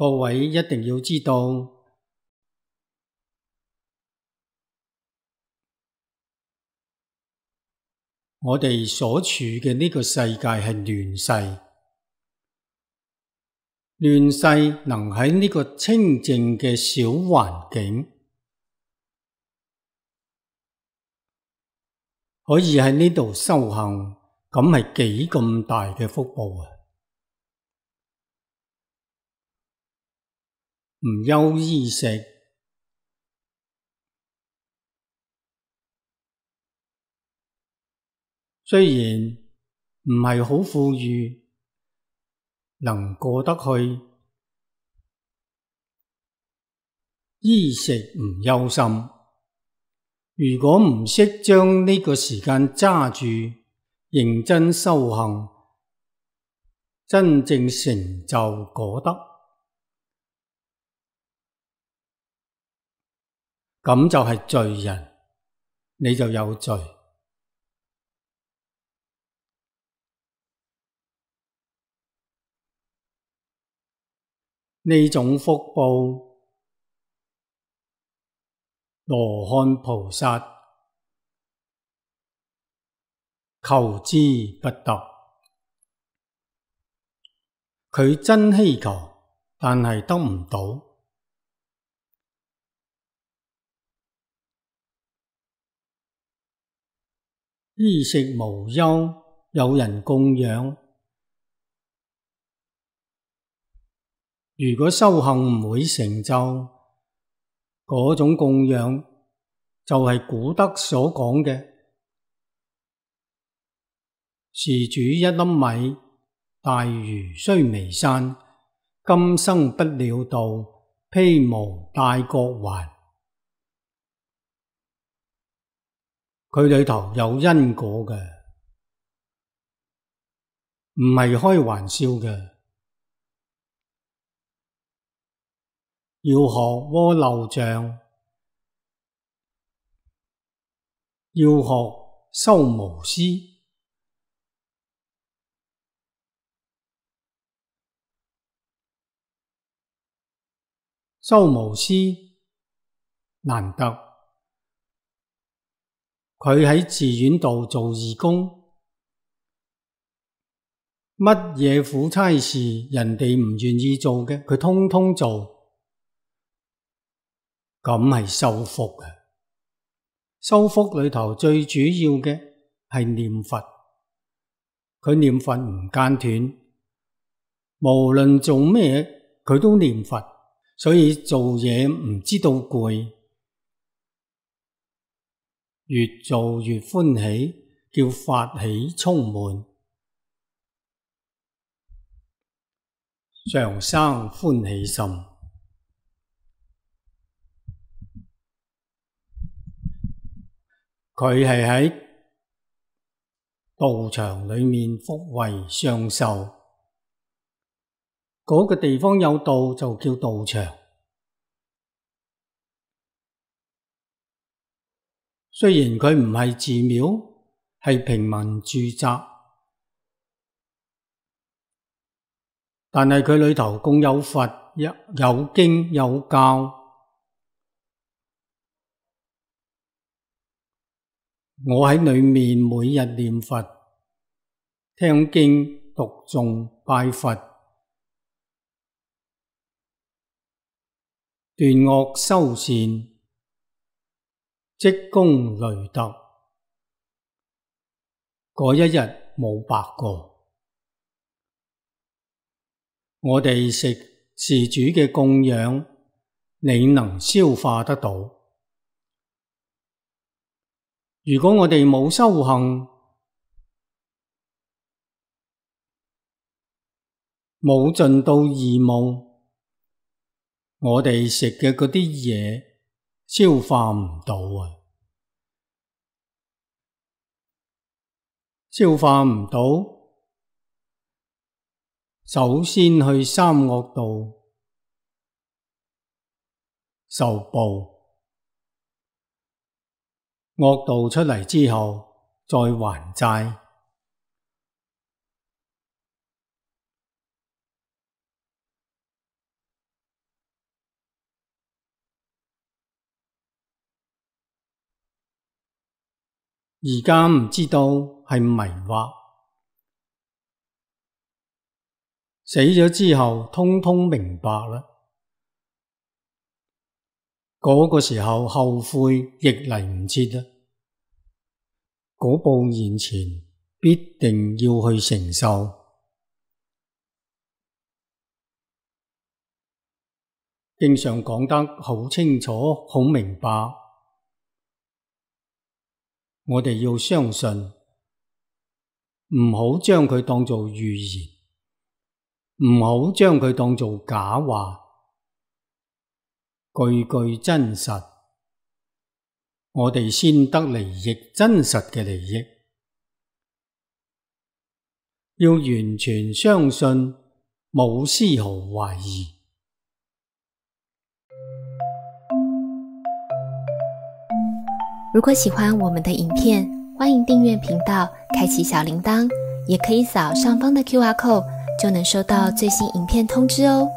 各位一定要知道，我哋所處嘅呢個世界係亂世，亂世能喺呢個清靜嘅小環境，可以喺呢度修行，咁係幾咁大嘅福報啊！唔憂衣食，雖然唔係好富裕，能過得去，衣食唔憂心。如果唔識將呢個時間揸住，認真修行，真正成就果德，咁就係罪人，你就有罪。呢種福報，羅漢菩薩求之不得，佢真希求，但係得唔到。衣食無憂，有人供養。如果修行唔會成就，嗰種供養就係古德所講嘅，施主一粒米，大如須彌山，今生不了道，披無戴角還。佢裏頭有因果嘅，唔係開玩笑嘅。要學阿耨像，要學修無私，修無私難得。佢喺寺院度做義工，乜嘢苦差事人哋唔願意做嘅，佢通通做。咁係修福啊！修福裏頭最主要嘅係念佛，佢念佛唔間斷，無論做咩佢都念佛，所以做嘢唔知道攰，越做越歡喜，叫法喜充滿，常生歡喜心。佢係喺道場裏面福慧雙修，嗰個地方有道就叫道場。雖然佢唔係寺廟，係平民住宅，但係佢裏頭共有佛，有經有教。我喺裏面每日念佛、聽經、讀誦、拜佛、斷惡修善、積功累德，嗰一日冇白過。我哋食施主嘅供養，你能消化得到。如果我哋冇修行，冇盡到義務，我哋食嘅嗰啲嘢消化唔到啊！消化唔到，首先去三惡道受報。惡道出嚟之後，再還債。而家唔知道係迷惑，死咗之後通通明白啦。嗰個時候後悔亦嚟唔切啦，嗰步現前必定要去承受。經常講得好清楚、好明白，我哋要相信，唔好將佢當做預言，唔好將佢當做假話，句句真實，我哋先得利益，真實嘅利益。要完全相信，冇絲毫懷疑。如果喜歡我們的影片，歡迎訂閱頻道，開啟小鈴鐺，也可以掃上方的QR code，就能收到最新影片通知哦。